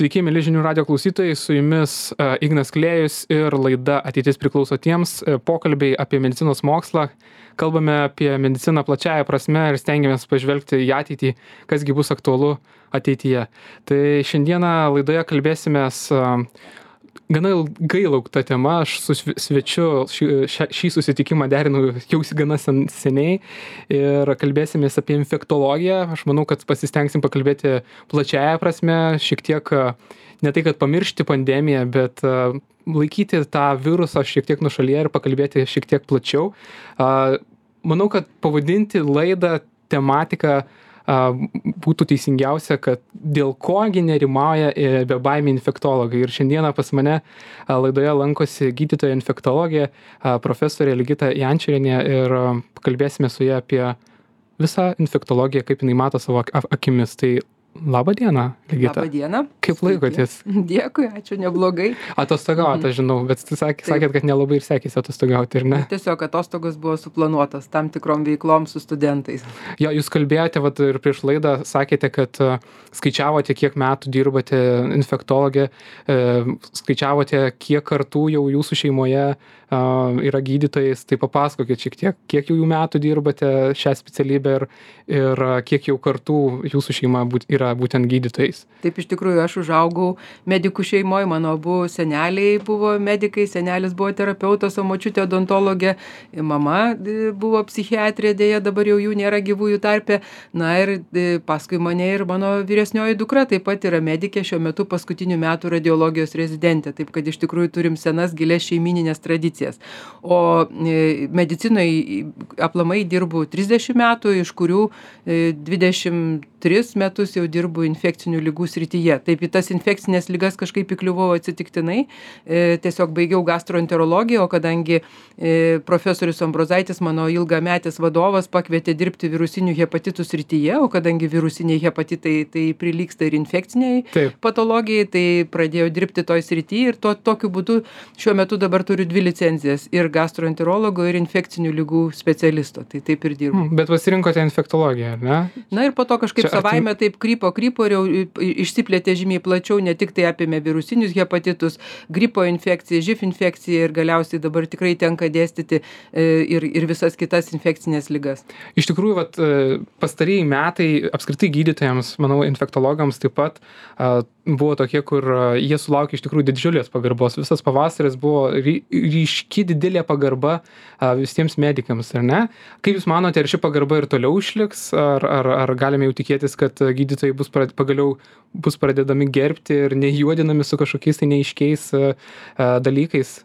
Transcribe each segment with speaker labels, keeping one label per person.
Speaker 1: Sveiki, mėly žinių radio klausytojai, su jumis Ignas Klėjus ir laida Ateitis priklauso tiems, pokalbiai apie medicinos mokslą. Kalbame apie mediciną plačiaja prasme ir stengiamės pažvelgti į ateitį, kasgi bus aktualu ateityje. Tai šiandieną laidoje kalbėsimės gana ilgai laukta tema, aš su svečiu šį susitikimą derinu jau gana seniai ir kalbėsimės apie infektologiją. Aš manau, kad pasistengsim pakalbėti plačiaja prasme, šiek tiek ne tai, kad pamiršti pandemiją, bet laikyti tą virusą šiek tiek nuošalyje ir pakalbėti šiek tiek plačiau. Manau, kad pavadinti laidą tematiką būtų teisingiausia, kad dėl kogi nerimauja bebaimiai infektologai. Ir šiandieną pas mane laidoje lankosi gydytoja infektologė, profesorė Ligita Jančorienė ir kalbėsime su ja apie visą infektologiją, kaip jinai mato savo akimis. Tai labą dieną, Ligita.
Speaker 2: Labą dieną.
Speaker 1: Kaip laikotės?
Speaker 2: Dėkui, ačiū, neblogai.
Speaker 1: Atostogauti, aš žinau, bet sakėt, kad nelabai ir sekėsi atostogauti, ir ne?
Speaker 2: Tiesiog atostogos buvo suplanuotas tam tikrom veiklom su studentais.
Speaker 1: Jo, jūs kalbėjote, ir prieš laidą sakėte, kad skaičiavote, kiek metų dirbate infektologė, skaičiavote, kiek kartų jau jūsų šeimoje yra gydytojais, tai papasakokit šiek tiek, kiek jau metų dirbate šią specialybę ir kiek jau kartų jūsų šeima yra būtent gydytojais.
Speaker 2: Taip, iš tikrųjų, aš užaugau medikų šeimoje, mano abu seneliai buvo medikai, senelis buvo terapeutas, o močiutė odontologė, mama buvo psichiatrė, dėja dabar jau jų nėra gyvųjų tarpe, na ir paskui mane ir mano vyresnioji dukra taip pat yra medikė, šiuo metu paskutinių metų radiologijos rezidentė, taip kad iš tikrųjų turim senas gilias šeimininės tradicijas. O medicinoje aplamai dirbu 30 metų, iš kurių 23 metus jau dirbu infekcinių ligų srityje. Taip, į tas infekcinės ligas kažkaip įkliuvau atsitiktinai, tiesiog baigiau gastroenterologiją, o kadangi profesorius Ambrozaitis, mano ilgametis vadovas, pakvietė dirbti virusinių hepatitų srityje, o kadangi virusiniai hepatitai tai prilygsta ir infekciniai patologijai, tai pradėjau dirbti toj srityje ir tokiu būdu šiuo metu dabar turiu 2 licencijas ir gastroenterologo ir infekcinių ligų specialisto, tai taip ir dirbu.
Speaker 1: Bet pasirinkote infektologiją, ar ne?
Speaker 2: Na ir po to kažkaip savaime taip krypo ir jau išsiplėtė žymiai plačiau, ne tik tai apėmė virusinius hepatitus, gripo infekciją, živ infekciją ir galiausiai dabar tikrai tenka dėstyti ir visas kitas infekcinės ligas.
Speaker 1: Iš tikrųjų, pastarieji metai apskritai gydytojams, manau, infektologams taip pat buvo tokie, kur jie sulaukė iš tikrųjų didžiulės pagarbos. Visas pavasaris buvo ryški didelė pagarba visiems medikams, ar ne? Kaip Jūs manote, ar ši pagarba ir toliau išliks, ar galime jau tikėtis, kad gydytojai pagaliau bus pradedami gerbti ir nejuodinami su kažkokiais tai neaiškiais dalykais?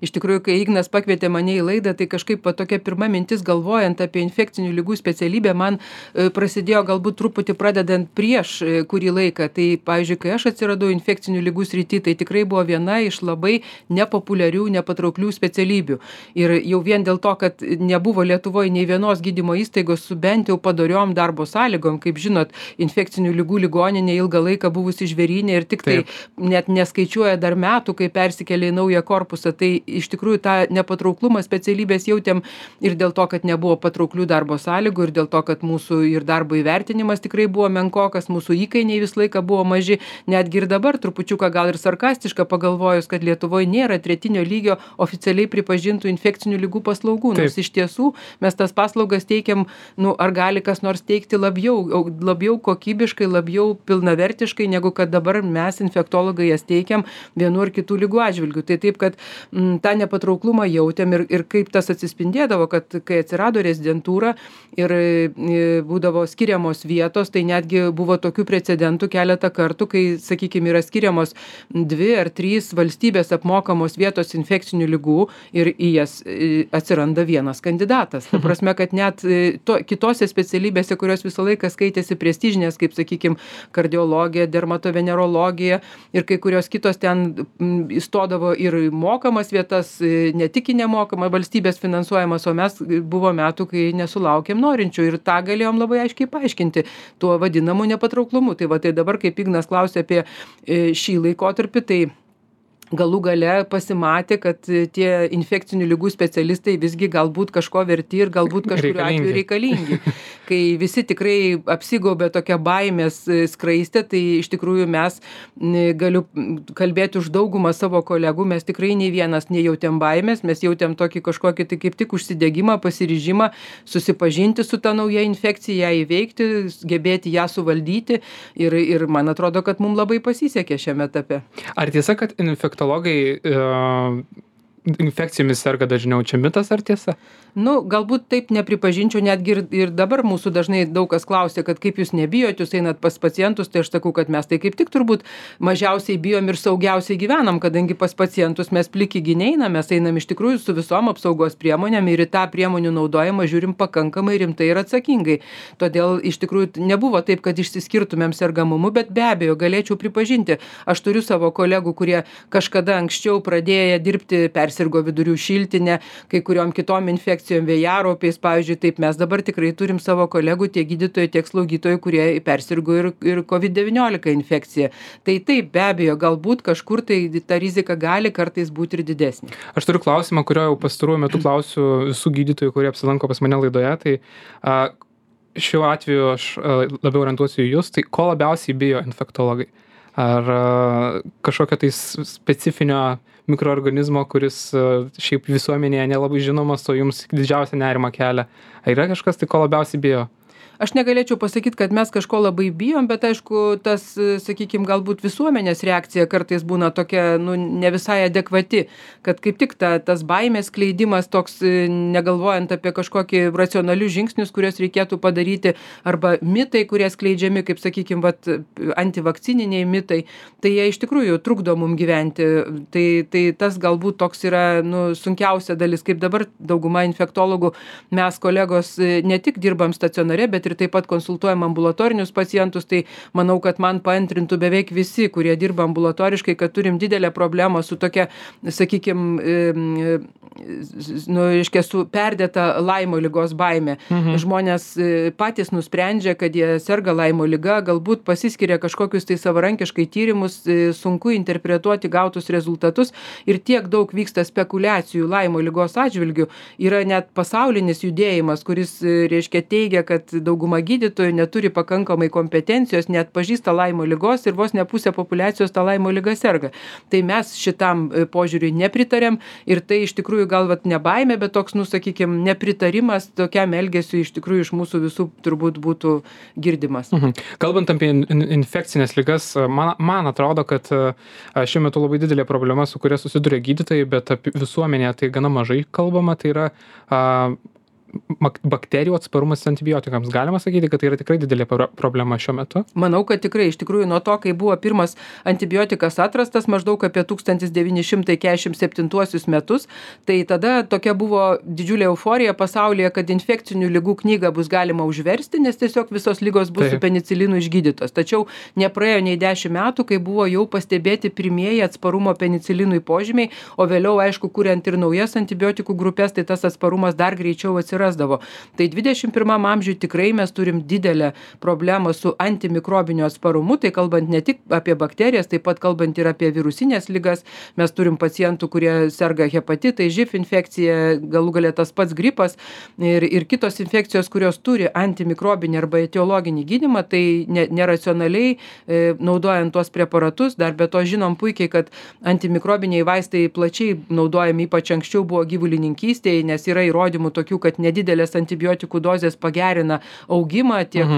Speaker 2: Iš tikrųjų, kai Ignas pakvietė mane į laidą, tai kažkaip tokia pirma mintis galvojant apie infekcinių ligų specialybę man prasidėjo galbūt truputį pradedant prieš kurį laiką. Tai, pavyzdžiui, kai aš atsiradau infekcinių ligų srity, tai tikrai buvo viena iš labai nepopuliarių, nepatrauklių specialybių. Ir jau vien dėl to, kad nebuvo Lietuvoje nei vienos gydymo įstaigos su bent jau padoriom darbo sąlygom, kaip žinot, infekcinių ligų ligoninė ilgą laiką buvusi žvėrynė ir tik tai net neskaičiuoja dar metų, kai persikėlė į naują korpusą. Tai iš tikrųjų tą nepatrauklumą specialybės jautėm ir dėl to, kad nebuvo patrauklių darbo sąlygų ir dėl to, kad mūsų ir darbo įvertinimas tikrai buvo menkokas, mūsų įkainiai visą laiką buvo maži, netgi ir dabar trupučiuką gal ir sarkastiška pagalvojus, kad Lietuvoje nėra tretinio lygio oficialiai pripažintų infekcinių ligų paslaugų. Nors iš tiesų mes tas paslaugas teikiam, ar gali kas nors teikti labiau kokybiškai, labiau pilnavertiškai, negu kad dabar mes infektologai jas teikiam vienu ar kitų ligų atžvilgių. Tai taip, kad tą nepatrauklumą jautėm ir kaip tas atsispindėdavo, kad kai atsirado rezidentūra ir būdavo skiriamos vietos, tai netgi buvo tokių precedentų keletą kartų, kai, sakykime, yra skiriamos 2 ar 3 valstybės apmokamos vietos infekcinių ligų ir į jas atsiranda vienas kandidatas. Ta prasme, kad net kitose specialybėse, kurios visą laiką skaitėsi prestižinės, kaip, sakykime, kardiologija, dermatovenerologija ir kai kurios kitos ten įstodavo ir mokamas vietas, ne tik nemokamą valstybės finansuojamas, o mes buvo metų, kai nesulaukėm norinčių ir tą galėjom labai aiškiai paaiškinti tuo vadinamu nepatrauklumu. Tai dabar, kaip Ignas klausė apie šį laikotarpį, tai galų gale pasimatė, kad tie infekcinių ligų specialistai visgi galbūt kažko verti ir galbūt kažkuriuo atveju reikalingi. Kai visi tikrai apsigaubė tokią baimės skraistę, tai iš tikrųjų mes, galiu kalbėti už daugumą savo kolegų, mes tikrai nei vienas nejautėm baimės, mes jautėm tokį kažkokį tai kaip tik užsidegimą, pasiryžimą susipažinti su ta nauja infekcija, ją įveikti, gebėti ją suvaldyti ir man atrodo, kad mums labai pasisekė šiame etape.
Speaker 1: Ar tiesa, kad infektologai infekcijomis serga dažniau? Čia mitas ar tiesa?
Speaker 2: Galbūt taip nepripažinčiau, netgi ir dabar mūsų dažnai daug kas klausia, kad kaip jūs nebijot, jūs einat pas pacientus, tai aš sakau, kad mes tai kaip tik turbūt mažiausiai bijom ir saugiausiai gyvenam, kadangi pas pacientus mes pliki neinam, mes einam iš tikrųjų su visom apsaugos priemonėm ir į tą priemonių naudojimą žiūrim pakankamai rimtai ir atsakingai. Todėl iš tikrųjų nebuvo taip, kad išsiskirtumėm sergamumu, bet be abejo galėčiau pripažinti, aš turiu savo kolegų, kurie kažkada anksčiau pradėję dirbti, persirgo vidurių šiltinę, kai kuriom kitom infekcijom, vėjaraupiais, pavyzdžiui, taip mes dabar tikrai turim savo kolegų, tiek gydytojų, tiek slaugytojų, kurie persirgo ir COVID-19 infekcija. Tai taip, be abejo, galbūt kažkur tai ta rizika gali kartais būti ir didesnė.
Speaker 1: Aš turiu klausimą, kurio jau pastaruoju metu klausiu visų gydytojų, kurie apsilanko pas mane laidoje. Tai šiuo atveju aš labiau orientuosiu į jūs. Tai ko labiausiai bijo infektologai? Ar kažkokio tai specifinio mikroorganizmo, kuris šiaip visuomenėje nelabai žinomas, o jums didžiausią nerimą kelia? Ar yra kažkas, tai ko labiausiai bijo?
Speaker 2: Aš negalėčiau pasakyti, kad mes kažko labai bijom, bet aišku, tas, sakykime, galbūt visuomenės reakcija kartais būna tokia, ne visai adekvati, kad kaip tik tas baimės skleidimas toks, negalvojant apie kažkokį racionalius žingsnius, kuriuos reikėtų padaryti, arba mitai, kurie skleidžiami, kaip, sakykime, antivakcininiai mitai, tai jie iš tikrųjų trukdo mum gyventi. Tai tas galbūt toks yra sunkiausia dalis, kaip dabar dauguma infektologų, mes kolegos ne tik dirbam stacionare, bet ir taip pat konsultuojam ambulatorinius pacientus, tai manau, kad man paantrintų beveik visi, kurie dirba ambulatoriškai, kad turim didelę problemą su tokia, sakykime, su perdėta Laimo ligos baime. Žmonės patys nusprendžia, kad jie serga Laimo liga, galbūt pasiskiria kažkokius tai savarankiškai tyrimus, sunku interpretuoti gautus rezultatus ir tiek daug vyksta spekulacijų Laimo ligos atžvilgių. Yra net pasaulinis judėjimas, kuris, teigia, kad dauguma gydytojų neturi pakankamai kompetencijos, net pažįsta Laimo ligos ir vos ne pusė populiacijos tą Laimo ligą serga. Tai mes šitam požiūriui nepritarėm ir tai iš tikrųjų gal ne baimė, bet toks, sakykime, nepritarimas tokiam elgesiui iš tikrųjų iš mūsų visų turbūt būtų girdimas.
Speaker 1: Kalbant apie infekcinės ligas, man atrodo, kad šiuo metu labai didelė problema, su kuria susiduria gydytojai, bet apie visuomenėje tai gana mažai kalbama, tai yra bakterijų atsparumas antibiotikams. Galima sakyti, kad tai yra tikrai didelė problema šiuo metu?
Speaker 2: Manau, kad tikrai, iš tikrųjų, nuo to, kai buvo pirmas antibiotikas atrastas maždaug apie 1947 metus, tai tada tokia buvo didžiulė euforija pasaulyje, kad infekcinių ligų knygą bus galima užversti, nes tiesiog visos ligos bus su penicilinu išgydytos. Tačiau nepraėjo nei 10 metų, kai buvo jau pastebėti pirmieji atsparumo penicilinui požymiai, o vėliau, aišku, kuriant ir naujas antibiotikų grupės, tai tas atsparumas dar greičiau atsirasdavo. Tai 21 amžiuje tikrai mes turim didelę problemą su antimikrobiniu atsparumu, tai kalbant ne tik apie bakterijas, taip pat kalbant ir apie virusinės ligas. Mes turim pacientų, kurie serga hepatitai, živ infekcija, galų gale tas pats gripas ir kitos infekcijos, kurios turi antimikrobinį arba etiologinį gydymą, tai neracionaliai naudojant tuos preparatus, dar be to žinom puikiai, kad antimikrobiniai vaistai plačiai naudojami, ypač anksčiau buvo gyvulininkystėje, nes yra įrodymų tokių, kad nedidelės antibiotikų dozės pagerina augimą tiek,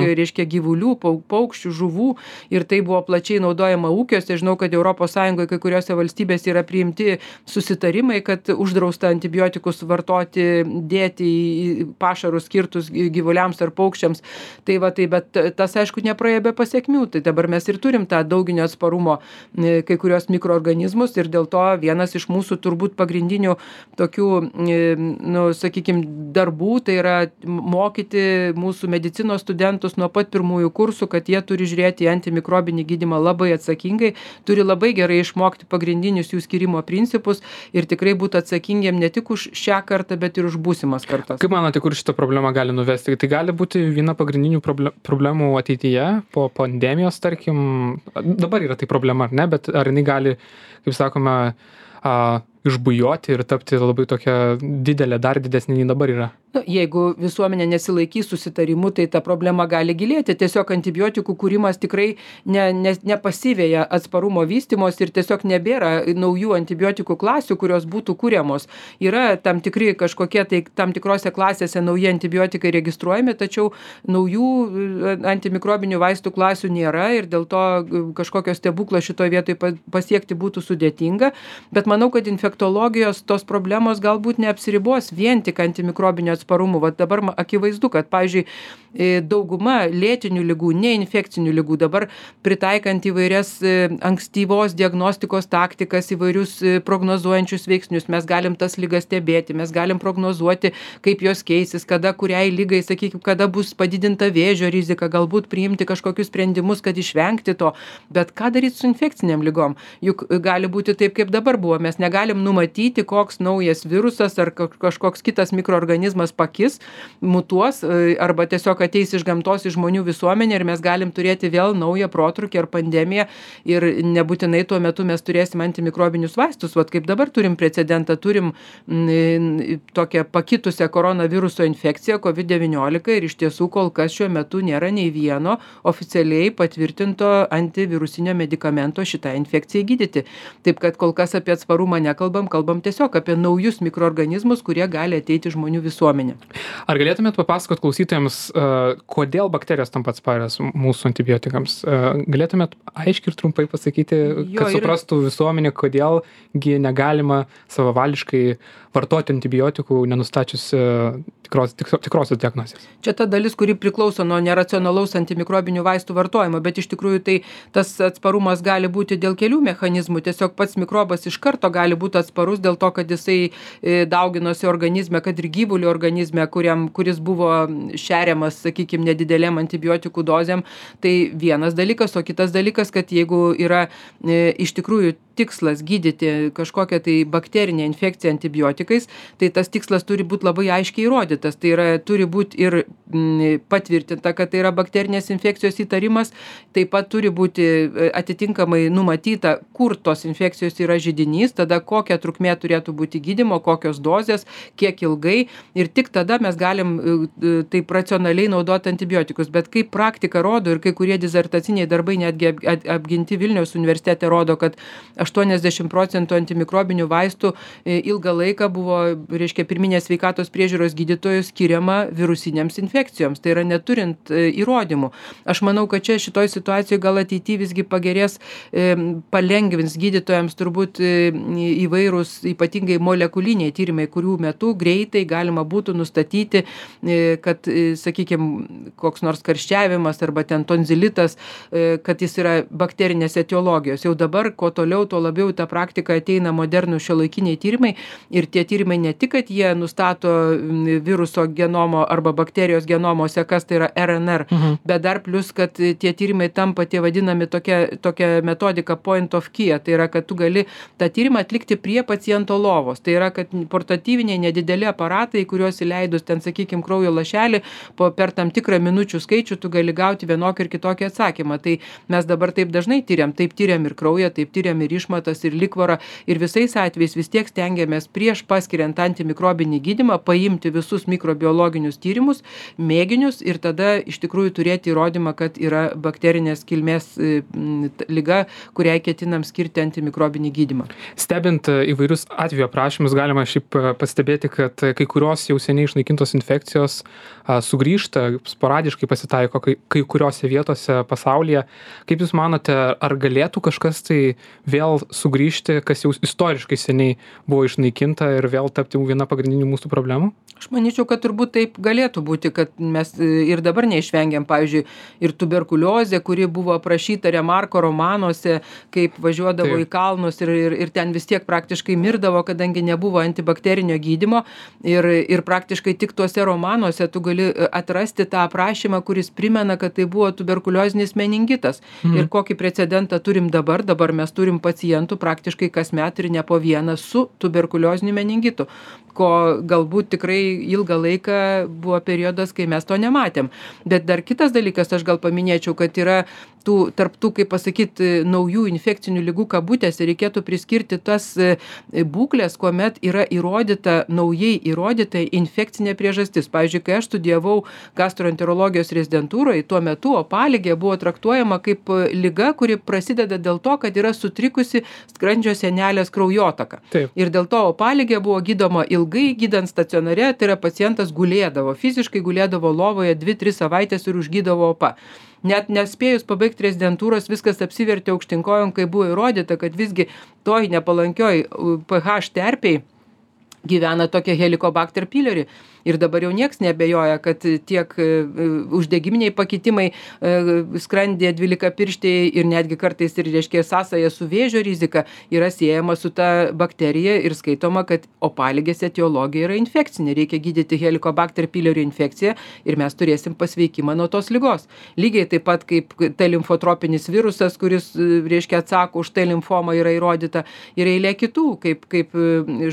Speaker 2: gyvulių, paukščių, žuvų ir tai buvo plačiai naudojama ūkiuose. Žinau, kad ES kai kuriuose valstybėse yra priimti susitarimai, kad uždrausta antibiotikus vartoti, dėti į pašarus skirtus gyvuliams ar paukščiams. Bet tas, aišku, nepraėjo be pasiekmių. Tai dabar mes ir turim tą dauginio atsparumo kai kurios mikroorganizmus ir dėl to vienas iš mūsų turbūt pagrindinių tokių, sakykime, darbų darbų, tai yra mokyti mūsų medicinos studentus nuo pat pirmųjų kursų, kad jie turi žiūrėti į antimikrobinį gydymą labai atsakingai, turi labai gerai išmokti pagrindinius jų skyrimo principus ir tikrai būti atsakingiem ne tik už šią kartą, bet ir už būsimas kartas.
Speaker 1: Kaip manote, kur šitą problemą gali nuvesti? Tai gali būti viena pagrindinių problemų ateityje, po pandemijos, tarkim, dabar yra tai problema, ar ne, bet ar jinai gali, kaip sakome, išbujoti ir tapti labai tokia didelė, dar didesnė nei dabar yra?
Speaker 2: Jeigu visuomenė nesilaikys susitarimų, tai ta problema gali gilėti. Tiesiog antibiotikų kūrimas tikrai nepasivėja atsparumo vystymos ir tiesiog nebėra naujų antibiotikų klasių, kurios būtų kūriamos. Yra tam tikri kažkokie, tai tam tikrose klasėse nauji antibiotikai registruojami, tačiau naujų antimikrobinių vaistų klasių nėra ir dėl to kažkokio stebuklo šitoje vietoje pasiekti būtų sudėtinga. Bet manau, kad infektologijos tos problemos galbūt neapsiribos vien tik antimikrobinio atsparumu. Vat dabar akivaizdu, kad, pavyzdžiui, dauguma lėtinių ligų, neinfekcinių ligų dabar pritaikant įvairias ankstyvos diagnostikos taktikas, įvairius prognozuojančius veiksnius, mes galim tas ligas stebėti, mes galim prognozuoti, kaip jos keisis, kada kuriai lygai, sakykime, kada bus padidinta vėžio rizika, galbūt priimti kažkokius sprendimus, kad išvengti to. Bet ką daryti su infekciniam ligom? Juk gali būti taip, kaip dabar buvo. Mes negalim numatyti, koks naujas virusas ar kažkoks kitas mikroorganizmas pakis, mutuos arba tiesiog ateis iš gamtos į žmonių visuomenę ir mes galim turėti vėl naują protrūkį ar pandemiją ir nebūtinai tuo metu mes turėsim antimikrobinius vaistus. Vat kaip dabar turim precedentą, turim tokią pakitusią koronaviruso infekciją COVID-19 ir iš tiesų kol kas šiuo metu nėra nei vieno oficialiai patvirtinto antivirusinio medikamento šitai infekcijai gydyti. Taip kad kol kas apie atsparumą nekalbam, kalbam tiesiog apie naujus mikroorganizmus, kurie gali ateiti žmonių visuomenę.
Speaker 1: Ar galėtumėt papasakot klausytojams, kodėl bakterijos tampa atsparios mūsų antibiotikams? Galėtumėt aiškiai ir trumpai pasakyti, kad suprastų visuomenė, kodėlgi negalima savavališkai vartoti antibiotikų, nenustačius tikrosios diagnozės?
Speaker 2: Čia ta dalis, kuri priklauso nuo neracionalaus antimikrobinių vaistų vartojimo, bet iš tikrųjų tai tas atsparumas gali būti dėl kelių mechanizmų. Tiesiog pats mikrobas iš karto gali būti atsparus dėl to, kad jisai dauginosi organizme, kad ir gyvulių organizme, kuris buvo šeriamas, sakykime, nedidelėm antibiotikų dozėm. Tai vienas dalykas, o kitas dalykas, kad jeigu yra iš tikrųjų tikslas gydyti kažkokią tai bakterinę infekciją antibiotikais, tai tas tikslas turi būti labai aiškiai įrodytas. Tai yra, turi būti ir patvirtinta, kad tai yra bakterinės infekcijos įtarimas, taip pat turi būti atitinkamai numatyta, kur tos infekcijos yra židinys, tada kokia trukmė turėtų būti gydymo, kokios dozės, kiek ilgai ir tik tada mes galim taip racionaliai naudoti antibiotikus. Bet kaip praktika rodo ir kai kurie disertaciniai darbai netgi apginti Vilniaus universitete rodo, kad 80% antimikrobinių vaistų ilgą laiką buvo, reiškia, pirminės sveikatos priežiūros gydytojų skiriama virusinėms infekcijoms. Tai yra neturint įrodymų. Aš manau, kad čia šitoj situacijoje gal ateityje visgi pagerės, palengvins gydytojams turbūt įvairūs, ypatingai molekuliniai tyrimai, kurių metu greitai galima būtų nustatyti, kad, sakykime, koks nors karščiavimas arba ten tonzilitas, kad jis yra bakterinės etiologijos. Jau dabar, kuo toliau, tuo labiau tą praktiką ateina modernų šiuolaikiniai tyrimai ir tie tyrimai ne tik, kad jie nustato viruso genomo arba bakterijos genomo sekas, tai yra RNR, bet dar plus, kad tie tyrimai tampa tie vadinami tokia metodika point of care, tai yra, kad tu gali tą tyrimą atlikti prie paciento lovos. Tai yra, kad portatyviniai nedideli aparatai, kuriuos įleidus ten, sakykime, kraujo lašelį, per tam tikrą minučių skaičių tu gali gauti vienokį ir kitokį atsakymą. Tai mes dabar taip dažnai tyriam, taip tyriam ir kraują, taip tyriam ir išmatas, ir likvorą, ir visais atvejais vis tiek stengiamės prieš paskiriant antimikrobinį gydymą paimti visus mikrobiologinius tyrimus, mėginius ir tada iš tikrųjų turėti įrodymą, kad yra bakterinės kilmės liga, kuriai ketinam skirti antimikrobinį gydymą.
Speaker 1: Stebint įvairius atvejo aprašymus, galima šiaip pastebėti, kad kai kurios jau seniai išnaikintos infekcijos sugrįžta, sporadiškai pasitaiko kai kuriuose vietose pasaulyje. Kaip Jūs manote, ar galėtų kažkas tai vėl vėl sugrįžti, kas jau istoriškai seniai buvo išnaikinta ir vėl tapti viena pagrindinių mūsų problemų?
Speaker 2: Aš manyčiau, kad turbūt taip galėtų būti, kad mes ir dabar neišvengiam, pavyzdžiui, ir tuberkuliozė, kuri buvo aprašyta Remarko romanuose, kaip važiuodavo į kalnus ir ten vis tiek praktiškai mirdavo, kadangi nebuvo antibakterinio gydymo ir praktiškai tik tuose romanuose tu gali atrasti tą aprašymą, kuris primena, kad tai buvo tuberkuliozinis meningitas. Ir kokį precedentą turim dabar mes turim pacientų praktiškai kasmet ir ne po vieną su tuberkulioziniu meningitu, ko galbūt tikrai ilgą laiką buvo periodas, kai mes to nematėm. Bet dar kitas dalykas, aš gal paminėčiau, kad yra tarp tų, kaip pasakyti, naujų infekcinių ligų kabutėse reikėtų priskirti tas būklės, kuomet yra naujai įrodyta infekcinė priežastis. Pavyzdžiui, kai aš studijavau gastroenterologijos rezidentūroje, tuo metu opaligė buvo traktuojama kaip liga, kuri prasideda dėl to, kad yra sutrikusi skrandžio sienelės kraujotaka.
Speaker 1: Taip.
Speaker 2: Ir dėl to opaligė buvo gydoma ilgai, gydant stacionare, tai yra pacientas gulėdavo, fiziškai gulėdavo lovoje 2-3 savaitės ir užgydavo opa. Net nespėjus pabaigti rezidentūros, viskas apsivertė aukštyn kojom, kai buvo įrodyta, kad visgi toj nepalankioj pH terpėj gyvena tokia Helicobacter pylori. Ir dabar jau nieks neabejoja, kad tiek uždegiminiai pakitimai skrandyje 12-pirštėje ir netgi kartais ir reiškia sąsaja su vėžio rizika yra siejama su ta bakterija ir skaitoma, kad opaligės etiologija yra infekcinė. Reikia gydyti Helicobacter pylori infekciją ir mes turėsim pasveikimą nuo tos ligos. Lygiai taip pat kaip T limfotropinis virusas, kuris reiškia atsako už T limfomą yra įrodyta ir eilė kitų, kaip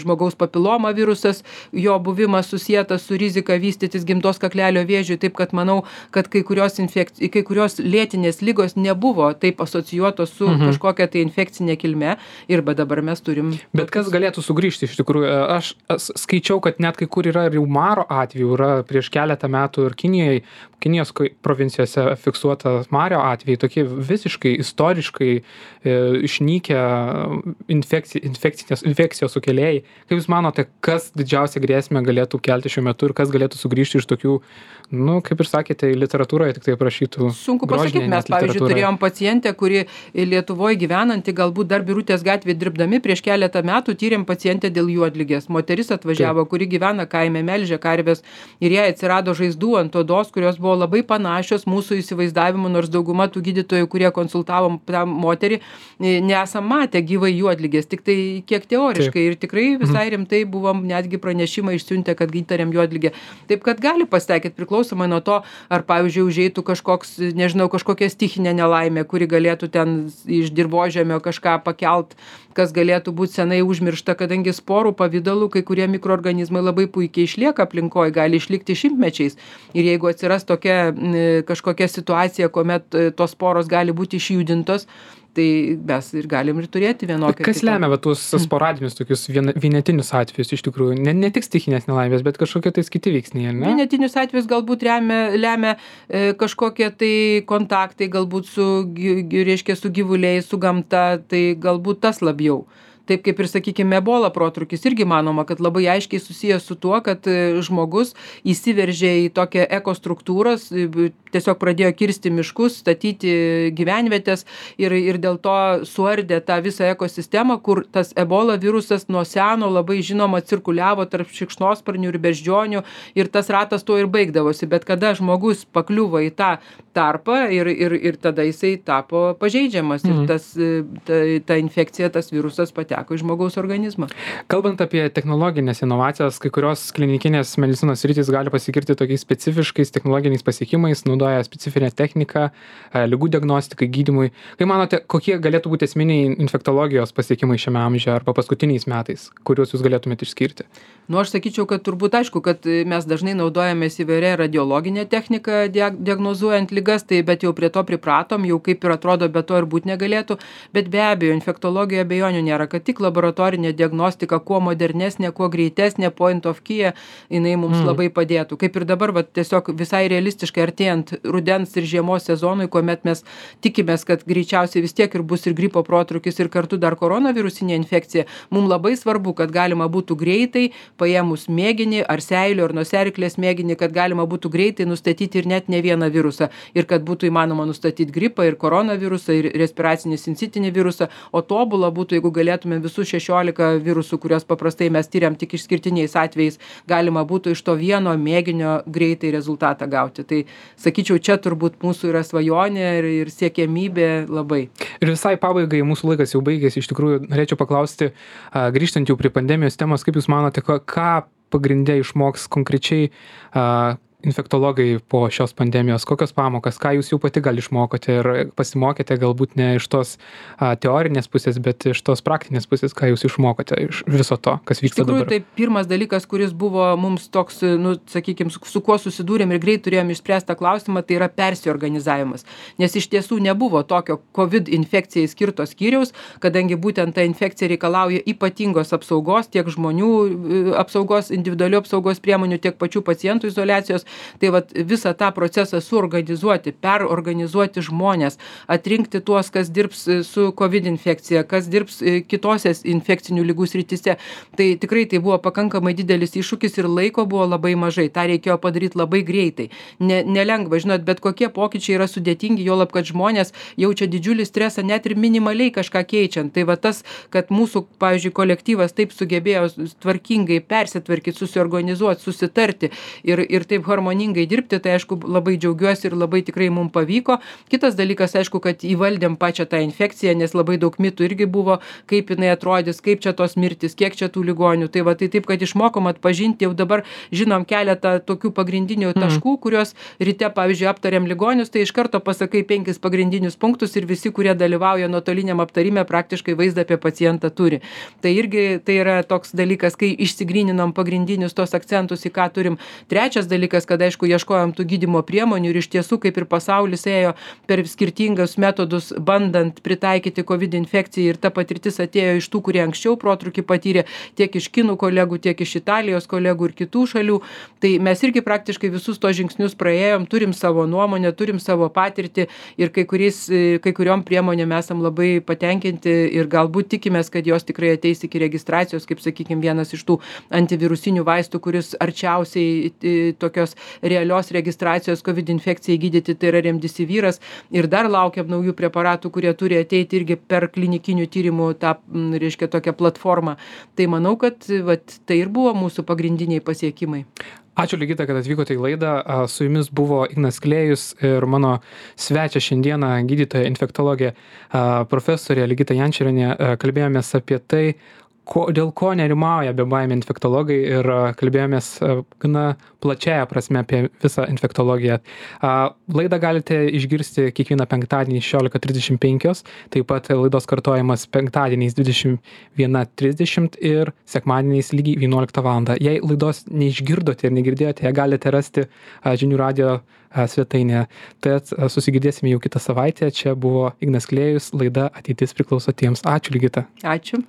Speaker 2: žmogaus papiloma virusas, jo buvimas susietas su rizika vystytis gimdos kaklelio vėžiui, taip kad manau, kad kai kurios lėtinės ligos nebuvo taip asocijuotos su kažkokia tai infekcinė kilme ir dabar mes turim.
Speaker 1: Bet kas galėtų sugrįžti iš tikrųjų? Aš skaičiau, kad net kai kur yra ir jau maro atvejų, yra prieš keletą metų ir Kinijos provincijose fiksuota mario atvejai, tokie visiškai istoriškai išnykę infekcijos sukėlėjai. Kaip Jūs manote, kas didžiausią grėsmę galėtų kelti šiuo metu ir kas galėtų sugrįžti iš tokių, kaip ir sakėte, literatūroje tik tai aprašytų?
Speaker 2: Sunku pasakyti, mes pavyzdžiui turėjom pacientę, kuri Lietuvoje gyvenanti, galbūt dar Birutės gatvėje dirbdami prieš keletą metų tyrėm pacientę dėl juodligės. Moteris atvažiavo, kuri gyvena kaime, melžia karves ir jai atsirado žaizdų ant odos, kurios buvo labai panašios mūsų įsivaizdavimu, nors dauguma tų gydytojų, kurie konsultavom tą moterį, nesam matę gyvai juodligės, tik tai kiek teoriškai ir tikrai visai rimtai buvom netgi pranešimą išsiuntę, kad įtariam juodligę. Taip, kad gali pasitaikyti priklausomai nuo to, ar pavyzdžiui užeitų kažkokia stichinė nelaimė, kuri galėtų ten iš dirvožemio kažką pakelt, kas galėtų būti senai užmiršta, kadangi sporų pavidalu kai kurie mikroorganizmai labai puikiai išlieka aplinkoje, gali išlikti šimtmečiais. Ir jeigu atsiras tokia kažkokia situacija, kuomet tos sporos gali būti išjudintos, tai mes ir galim ir turėti vienokią.
Speaker 1: Kas lemia tuos sporadinius tokius vienetinius atvejus iš tikrųjų? Ne tik stichinės nelaimės, bet kažkokie tais kiti veiksniai, ar ne?
Speaker 2: Vienetinius atvejus galbūt lemia kažkokie tai kontaktai, galbūt su gyvuliais, su gamta, tai galbūt tas labiau. Taip kaip ir, sakykime, ebola protrūkis irgi manoma, kad labai aiškiai susijęs su tuo, kad žmogus įsiveržė į tokią ekostruktūras, tiesiog pradėjo kirsti miškus, statyti gyvenvietės ir dėl to suardė tą visą ekosistemą, kur tas ebola virusas nuo seno labai žinoma cirkuliavo tarp šikšnosparnių ir beždžionių ir tas ratas tuo ir baigdavosi. Bet kada žmogus pakliuvo į tą tarpą ir tada jisai tapo pažeidžiamas ir ta infekcija, tas virusas pateko į žmogaus organizmą.
Speaker 1: Kalbant apie technologinės inovacijas, kai kurios klinikinės medicinos sritys gali pasigirti tokiais specifiškais technologiniais pasiekimais, naudoja specifinę techniką, ligų diagnostikai, gydymui. Kaip manote, kokie galėtų būti esminiai infektologijos pasiekimai šiame amžiuje arba paskutiniais metais, kuriuos Jūs galėtumėte išskirti?
Speaker 2: Aš sakyčiau, kad turbūt aišku, kad mes dažnai naudojamės įvairia radiologinė technika diagnozuojant ligas, bet jau prie to pripratom, jau kaip ir atrodo, be to ir būti negalėtų, bet be abejo, infektologija abejonių nėra, kad tik laboratorinė diagnostika, kuo modernesnė, kuo greitesnė, point of care, jinai mums labai padėtų. Kaip ir dabar, tiesiog visai realistiškai artėjant artėjant rudens ir žiemos sezonui, kuomet mes tikimės, kad greičiausiai vis tiek ir bus ir gripo protrūkis, ir kartu dar koronavirusinė infekcija, mums labai svarbu, kad galima būtų greitai, paėmus mėginį ar seilių ar nosiaryklės mėginį, kad galima būtų greitai nustatyti ir net ne vieną virusą, ir kad būtų įmanoma nustatyti gripą ir koronavirusą, ir respiracinį sincitinį virusą, o tobula būtų, jeigu galėtume visus 16 virusų, kuriuos paprastai mes tyriam tik išskirtiniais atvejais, galima būtų iš to vieno mėginio greitai rezultatą gauti. Tai sakyčiau, čia turbūt mūsų yra svajonė ir siekiamybė labai.
Speaker 1: Ir visai pabaigai, mūsų laikas jau baigėsi, iš tikrųjų norėčiau paklausti, grįžtant jau prie pandemijos temos, kaip Jūs manote, ką pagrinde išmoks konkrečiai infektologai po šios pandemijos, kokios pamokas, ką Jūs jau pati gal išmokote ir pasimokėte galbūt ne iš tos teorinės pusės, bet iš tos praktinės pusės, ką Jūs išmokote iš viso to, kas vyksta dabar?
Speaker 2: Iš tikrųjų, tai pirmas dalykas, kuris buvo mums toks, sakykime, su kuo susidūrėm ir greit turėjom išspręstą klausimą, tai yra persiorganizavimas. Nes iš tiesų nebuvo tokio COVID infekcijai skirto skyriaus, kadangi būtent ta infekcija reikalauja ypatingos apsaugos, tiek žmonių apsaugos, individualių apsaugos priemonių, tiek pačių pacientų izoliacijos. Tai vat visą tą procesą suorganizuoti, perorganizuoti žmonės, atrinkti tuos, kas dirbs su COVID infekcija, kas dirbs kitose infekcinių ligų srityse. Tai tikrai tai buvo pakankamai didelis iššūkis ir laiko buvo labai mažai. Ta reikėjo padaryti labai greitai. Nelengva, žinot, bet kokie pokyčiai yra sudėtingi, juolab, kad žmonės jaučia didžiulį stresą net ir minimaliai kažką keičiant. Tai va tas, kad mūsų, pavyzdžiui, kolektyvas taip sugebėjo tvarkingai persitvarkyti, susiorganizuoti, susitarti ir taip harmoningai dirbti, tai aišku labai džiaugiuosi ir labai tikrai mums pavyko. Kitas dalykas, aišku, kad įvaldėm pačią tą infekciją, nes labai daug mitų irgi buvo, kaip jinai atrodys, kaip čia tos mirtis, kiek čia tų ligonių. Tai va, tai taip, kad išmokom atpažinti, jau dabar žinom keletą tokių pagrindinių taškų, kuriuos ryte, pavyzdžiui, aptariam ligonius, tai iš karto pasakai 5 pagrindinius punktus ir visi, kurie dalyvauja nuotoliniam aptarime, praktiškai vaizdą apie pacientą turi. Tai irgi tai yra toks dalykas, kai išsigryninam pagrindinius tos akcentus, į ką turim. Trečias dalykas, kad aišku, ieškojom tų gydymo priemonių ir iš tiesų, kaip ir pasaulis ėjo per skirtingus metodus, bandant pritaikyti COVID infekcijai, ir ta patirtis atėjo iš tų, kurie anksčiau protrūkį patyrė, tiek iš kinų kolegų, tiek iš Italijos kolegų ir kitų šalių. Tai mes irgi praktiškai visus tos žingsnius praėjom, turim savo nuomonę, turim savo patirtį ir kai kuriom priemonėm esam labai patenkinti ir galbūt tikimės, kad jos tikrai ateis iki registracijos, kaip sakykime, vienas iš tų antivirusinių vaistų, kuris arčiausiai tokios realios registracijos COVID infekcijai gydyti, tai yra remdesiviras, ir dar laukiam naujų preparatų, kurie turi ateiti irgi per klinikinių tyrimų tą, reiškia, tokią platformą. Tai manau, kad tai ir buvo mūsų pagrindiniai pasiekimai.
Speaker 1: Ačiū, Ligita, kad atvykote į laidą. Su Jumis buvo Ignas Klėjus ir mano svečia šiandieną gydytoja infektologė profesorė Ligita Jančorienė. Kalbėjomės apie tai, dėl ko nerimauja bebaimiai infektologai ir kalbėjomės gana plačiaja prasme apie visą infektologiją. Laidą galite išgirsti kiekvieną penktadienį 16:35, taip pat laidos kartojimas penktadieniais 21:30 ir sekmadieniais lygiai 11 val. Jei laidos neišgirdote ir negirdėjote, ją galite rasti žinių radijo svetainėje. Tad susigirdėsime jau kitą savaitę. Čia buvo Ignas Klėjus, laida Ateitis priklauso tiems. Ačiū, Ligita.
Speaker 2: Ačiū.